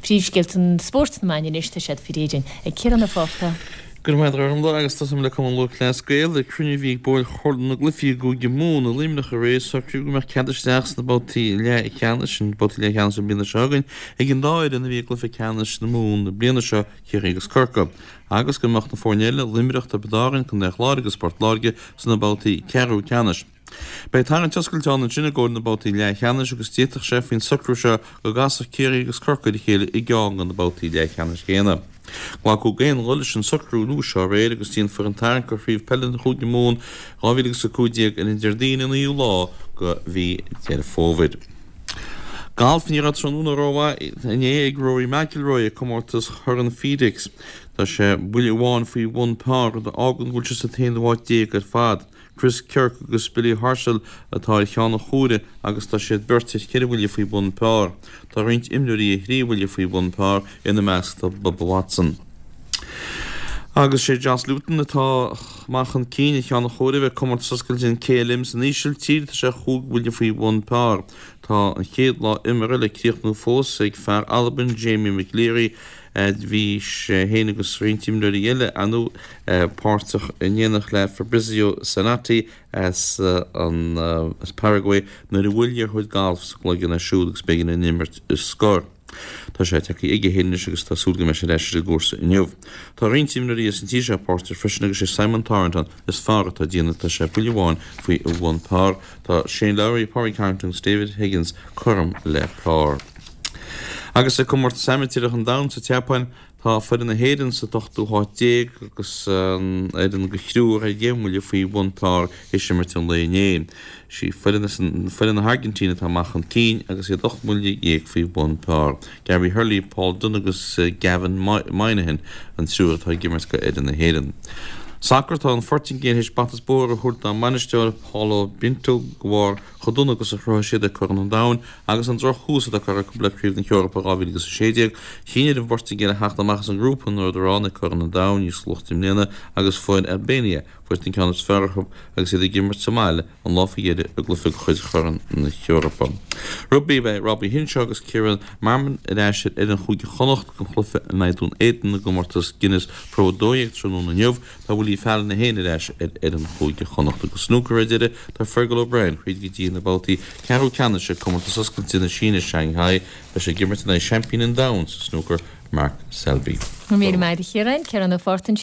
Príomhscéalta an spóirt sna meáin anois, tá siad faoi réir againn ag Ciarán Ó Fátharta. Go raibh maith agat a Ghormfhlaith agus tosóidh mé le Cumann Lúthchleas Gael. Ag cruinniú a bhí ag baill Chomhairle na gCluichí i gCúige Mumhan i Luimneach aréir, socraíodh go mbeadh cead isteach sna babhtaí leathcheannais, an babhtaí leathcheannais an bliana seo chugainn, ag an dá fhoireann a bhí i gcluiche ceannais na Mumhan na bliana seo, Ciarraí agus Corcaigh, agus go mbeadh na foirne eile, Luimneach, Tiobraid Árann, Contae an Chláir agus Port Láirge, sna babhtaí ceathrú ceannais. Beidh tarraingt oscailte ann ansin i gcomhair na babhtaí leathcheannais agus d'fhéadfadh sé faoin socrú seo go gcasfadh Ciarraí agus Corcaigh ar a chéile i gceann de na babhtaí leathcheannais céanna. Glacadh d'aon ghuth leis an socrú nua seo aréir agus déanfar an tarraingt do Chraobh Peile an Chúige Mumhan 2015 ar an Déardaoin an 9ú lá de mhí Deireadh Fómhair. Galf Ní raibh tráthnóna rómhaith inné ag Rory McIlroy ag comórtas Chorn FedEx. Tá sé buille amháin faoi bhun par, rud a fhágann go bhfuil sé sa t-aonú háit déag ar fad. Chris Kirk agus Billy Horschel atá ar cheann an chomhairimh agus tá siad beirt ar cheithre bhuille faoi bhun par. Tá roinnt imreoirí ar thrí bhuille faoi bhun par, ina measc tá Bubba Watson. Agus sé Jos Luiten atá amach chun cinn ar cheann an chomhairimh ag Comórtas Oscailte an KLM san Ísiltír, tá sé chúig bhuille faoi bhun par. Tá an chéad lá imeartha le críochnú fós ag fear Albain Jamie McLeary. Bhí sé féin agus roinnt imreoirí eile, ar ndóigh, páirteach in éineacht le Fabrizio Zanotti as an as Paraguay nuair a bhuail liathróid gailf sa gcloigeann air siúd agus b'éigean an imirt a scor. Tá sé tagtha chuige féin anois agus tá súil go mbeidh sé ar ais ar an gcúrsa inniu. Tá roinnt imreoirí as an tír seo páirteach freisin agus sé Simon Thornton is fearr atá ag déanamh, tá sé buille amháin faoi bhun par. Tá Shane Lowry, Pádraig Harrington agus David Higgins cothrom le par. Agus ag Comórtas Amaitéarach an Domhain sa tSeapáin, tá foireann na hÉireann sa t-ochtú háit déag agus an fhoireann de thriúr ar dheich mbuille faoi bhun par théis imirt an lae inné. Is í foireann foireann na hAirgintíne atá amach chun cinn agus iad 18 mbuille faoi bhun par. Gary Hurley, Paul Dunne agus Gavin Moynihan an triúr atá ag imirt do fhoireann na hÉireann. Sacar Tá an Phortaingéil théis bata is bóthar a thabhairt dá mbainisteoir Paulo Bento de bharr chomh dona agus a chruthaigh siad ag Corn an Domhain agus an drochthús atá curtha acu le Craobh na hEorpa 2016. Chinn ar an bPortaingéil a theacht amach as an ngrúpa ina rabhadar ann ag Corn an Domhain níos luaithe i mbliana agus fuair Albania faighte an ceann is fearr orthu agus iad ag imirt sa mbaile an lá faoi dheireadh i gcluiche de chuid Chorn na hEorpa. Rugbaí Beidh Robbie Henshaw agus Ciaran Marmion ar ais ar fhoireann Chúige Chonnacht don chluiche in aghaidh Dún Éideann i gcomórtas Guinness Pro 12 tráthnóna inniu. Tá Willie Fallon é féin ar ais ar fhoireann Chúige Chonnacht agus snúcar ar deireadh. Tá Fergal O'Brien thríd go dtí na babhtaí ceathrú ceannais ag Comórtas Oscailte na Síne Shanghai. Beidh sé ag imirt in aghaidh seaimpín an domhain sa snúcar, Mark Selby. Go raibh míle maith agat a Chiaráin. Ciarán Ó Fátharta.